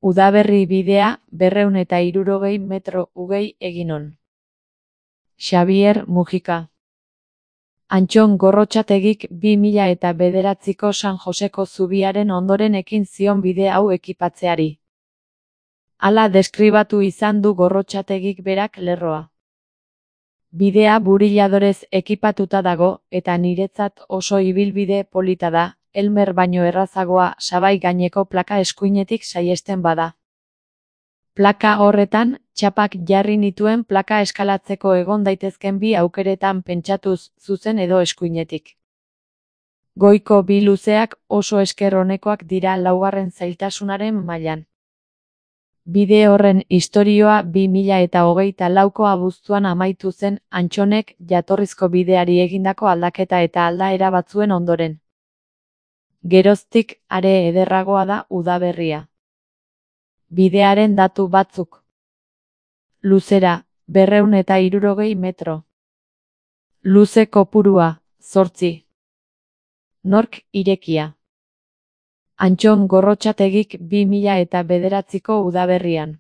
Udaberri bidea 260 metro ugei eginon. Xabier Mujika. Antxon Gorrotxategik 2009ko San Joseko zubiaren ondoren ekin zion bide hau ekipatzeari. Hala deskribatu izan du Gorrotxategik berak lerroa. Bidea buriladorez ekipatuta dago, eta niretzat oso ibilbide polita da, Elmer baino errazagoa sabai gaineko plaka eskuinetik saihesten bada. Plaka horretan, txapak jarri nituen plaka eskalatzeko egon daitezken bi aukeretan pentsatuz, zuzen edo eskuinetik. Goiko bi luzeak oso esker onekoak dira laugarren zailtasunaren mailan. Bide horren istorioa 2024ko abuztuan amaitu zen Antxonek jatorrizko bideari egindako aldaketa eta aldaera batzuen ondoren. Geroztik are ederragoa da udaberria. Bidearen datu batzuk. Luzera, 260 metro. Luze kopurua, 8. Nork irekia. Antxon Gorrotxategik 2009ko udaberrian.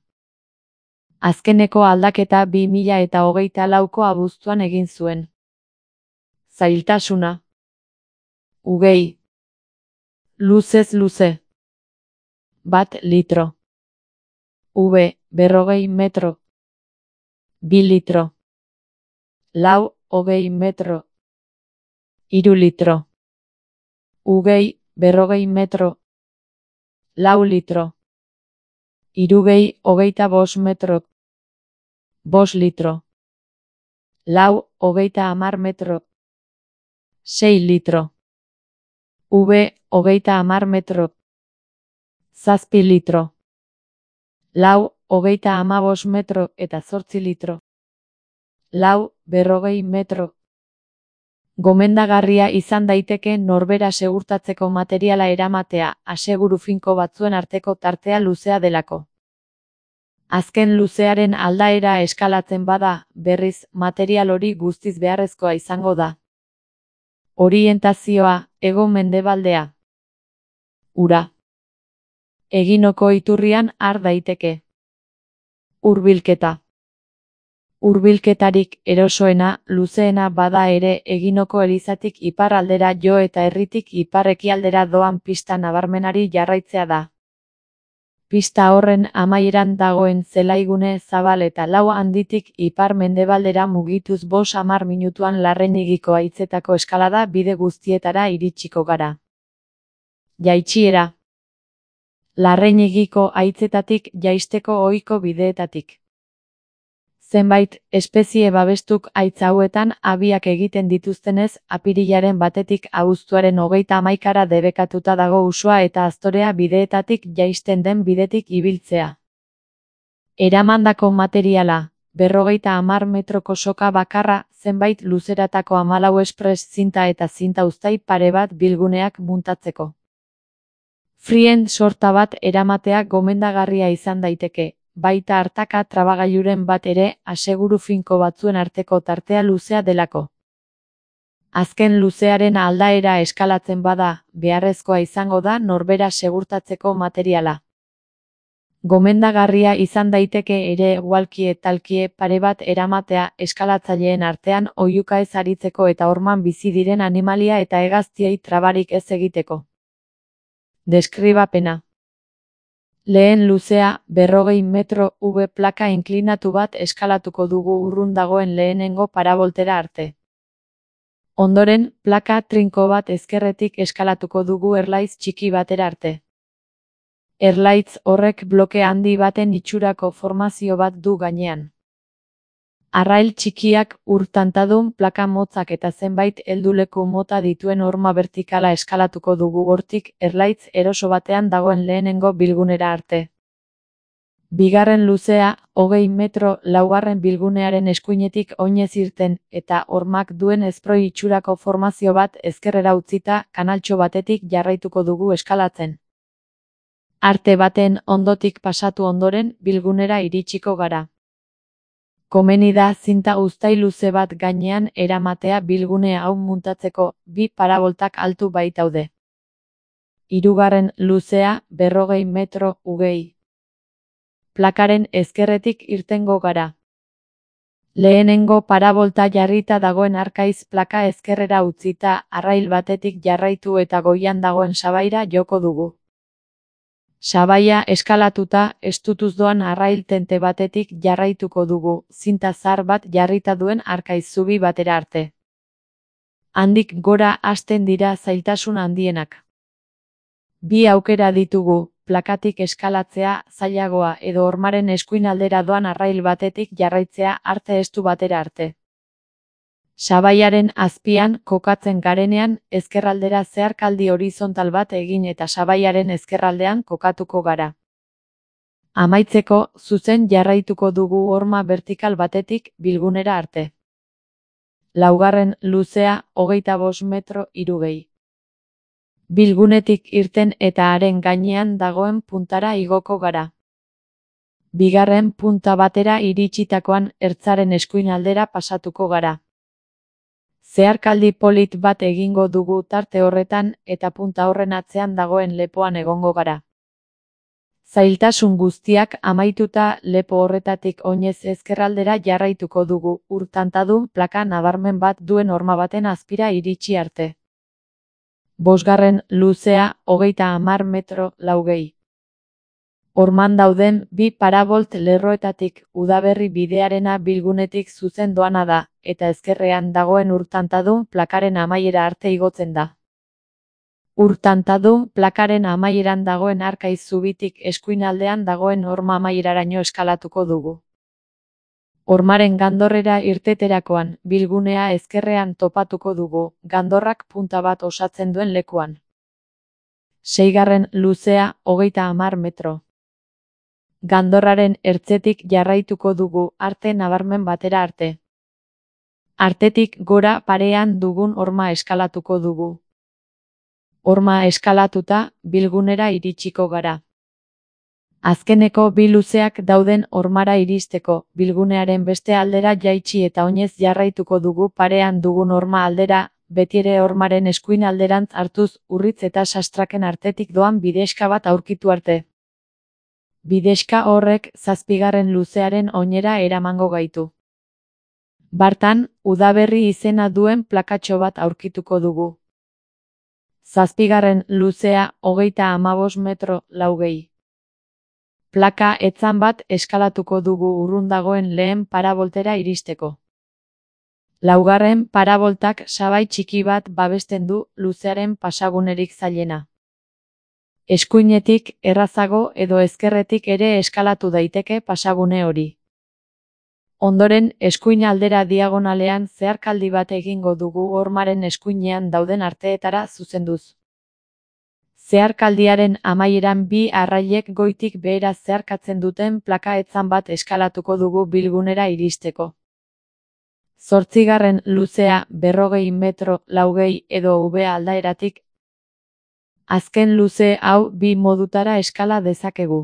Azkeneko aldaketa 2024ko abuztuan egin zuen. Zailtasuna. Ugei. Luzez luze. 1 litro. 40 metro. 2 litro. 20 metro. 3 litro. Ugei, 40 metro. 4 litro. 25 metro. 5 litro. 30 metro. 6 litro. 30 metro. 7 litro. 35 metro eta 8 litro. 40 metro. Gomendagarria izan daiteke norbera segurtatzeko materiala eramatea, aseguru finko batzuen arteko tartea luzea delako. Azken luzearen aldaera eskalatzen bada, berriz, material hori guztiz beharrezkoa izango da. Orientazioa, hego-mendebaldea. Ura. Eginoko iturrian har daiteke. Hurbilketa. Hurbilketarik erosoena, luzeena bada ere Eginoko elizatik iparraldera jo eta herritik ipar-ekialdera doan pista nabarmenari jarraitzea da. Pista horren amaieran dagoen zelaigune zabal eta lau handitik ipar-mendebaldera mugituz 50 minutuan Larrañigiko haitzetako eskalada bide guztietara iritsiko gara. Jaitsiera. Larrañigiko haitzetatik jaisteko ohiko bideetatik. Zenbait espezie babestuk haitz hauetan abiak egiten dituztenez, apirilaren 1 abuztuaren 31 debekatuta dago Usoa eta Aztorea bideetatik jaisten den bidetik ibiltzea. Eramandako materiala, 50 metroko soka bakarra, zenbait luzeratako 14 espres zinta eta zinta uztai pare bat bilguneak muntatzeko. Frien sorta bat eramatea gomendagarria izan daiteke. Baita hartaka trabagailuren bat ere, aseguru finko batzuen arteko tartea luzea delako. Azken luzearen aldaera eskalatzen bada, beharrezkoa izango da norbera segurtatzeko materiala. Gomendagarria izan daiteke ere walkie-talkie pare bat eramatea eskalatzaileen artean oihuka ez aritzeko eta orman bizi diren animalia eta hegaztiei trabarik ez egiteko. Deskribapena. Lehen luzea, 40 metro V plaka inklinatu bat eskalatuko dugu urrun dagoen lehenengo paraboltera arte. Ondoren, plaka trinko bat ezkerretik eskalatuko dugu erlaitz txiki batera arte. Erlaitz horrek bloke handi baten itxurako formazio bat du gainean. Arrail txikiak, ur-tantadun plaka motzak eta zenbait helduleku mota dituen horma vertikala eskalatuko dugu hortik erlaitz eroso batean dagoen lehenengo bilgunera arte. Bigarren luzea, 20 metro laugarren bilgunearen eskuinetik oinez irten eta hormak duen ezproi itxurako formazio bat ezkerrera utzita kanaltxo batetik jarraituko dugu eskalatzen. Arte baten ondotik pasatu ondoren bilgunera iritsiko gara. Komeni da zinta uztai luze bat gainean eramatea bilgune hau muntatzeko, 2 paraboltak altu baitaude. Hirugarren luzea, 40 metro ugei. plakaren ezkerretik irtengo gara. Lehenengo parabolta jarrita dagoen arkaiz plaka ezkerrera utzita, arrail batetik jarraitu eta goian dagoen sabaira joko dugu. Sabaia eskalatuta, estutuz doan arrail tente batetik jarraituko dugu, zinta zahar bat jarrita duen arkaiz zubi batera arte. Handik gora hasten dira zailtasun handienak. Bi aukera ditugu, plakatik eskalatzea zailagoa edo hormaren eskuin aldera doan arrail batetik jarraitzea arte estu batera arte. Sabaiaren azpian kokatzen garenean, ezkerraldera zeharkaldi horizontal bat egin eta sabaiaren ezkerraldean kokatuko gara. Amaitzeko, zuzen jarraituko dugu horma vertikal batetik bilgunera arte. Laugarren luzea 25 metro 60. Bilgunetik irten eta haren gainean dagoen puntara igoko gara. Bigarren punta batera iritsitakoan ertzaren eskuin aldera pasatuko gara. Zeharkaldi polit bat egingo dugu tarte horretan eta punta horren atzean dagoen lepoan egongo gara. Zailtasun guztiak amaituta lepo horretatik oinez ezkerraldera jarraituko dugu, urtantadun plaka nabarmen bat duen horma baten azpira iritsi arte. Bosgarren luzea 30 metro 60. Horman dauden bi parabolt lerroetatik udaberri bidearena bilgunetik zuzen doana da, eta ezkerrean dagoen urtantadun plakaren amaiera arte igotzen da. Urtantadun plakaren amaieran dagoen arkaiz zubitik eskuinaldean dagoen horma amaieraraino eskalatuko dugu. Hormaren gandorrera irteterakoan, bilgunea ezkerrean topatuko dugu, gandorrak punta bat osatzen duen lekuan. Seigarren luzea 30 metro. Gandorraren ertzetik jarraituko dugu arte nabarmen batera arte. Artetik gora parean dugun horma eskalatuko dugu. Horma eskalatuta, bilgunera iritsiko gara. Azkeneko bi luzeak dauden hormara iristeko, bilgunearen beste aldera jaitsi eta oinez jarraituko dugu parean dugun horma aldera, betiere hormaren eskuin alderantz hartuz urritz eta sastraken artetik doan bidexka bat aurkitu arte. Bidexka horrek 7. luzearen oinera eramango gaitu. Bartan, udaberri izena duen plakatxo bat aurkituko dugu. 7. luzea 35 metro 60. Plaka etzan bat eskalatuko dugu urrun dagoen lehen paraboltera iristeko. Laugarren paraboltak sabai txiki bat babesten du luzearen pasagunerik zailena. Eskuinetik, errazago edo ezkerretik ere eskalatu daiteke pasagune hori. Ondoren, eskuin aldera diagonalean zeharkaldi bat egingo dugu hormaren eskuinean dauden arteetara zuzenduz. Zeharkaldiaren amaieran bi arrailek goitik behera zeharkatzen duten plaka etzan bat eskalatuko dugu bilgunera iristeko. 8. luzea 40 metro 60 edo V aldaeratik. Azken luze hau bi modutara eskala dezakegu.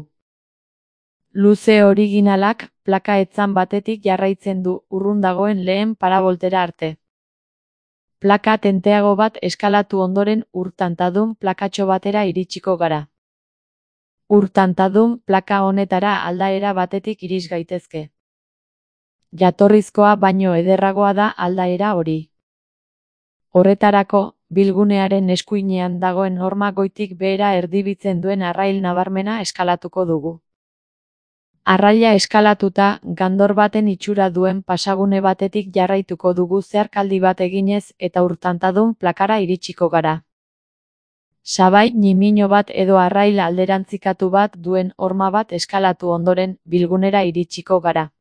Luze originalak plaka etzan batetik jarraitzen du urrun dagoen lehen paraboltera arte. Plaka tenteago bat eskalatu ondoren urtantadun plakatxo batera iritsiko gara. Urtantadun plaka honetara aldaera batetik iris gaitezke. Jatorrizkoa baino ederragoa da aldaera hori. Horretarako, bilgunearen eskuinean dagoen horma goitik behera erdibitzen duen arrail nabarmena eskalatuko dugu. Arraila eskalatuta, gandor baten itxura duen pasagune batetik jarraituko dugu zeharkaldi bat eginez eta urtantadun plakara iritsiko gara. Sabai ñimiño bat edo arrail alderantzikatu bat duen horma bat eskalatu ondoren bilgunera iritsiko gara.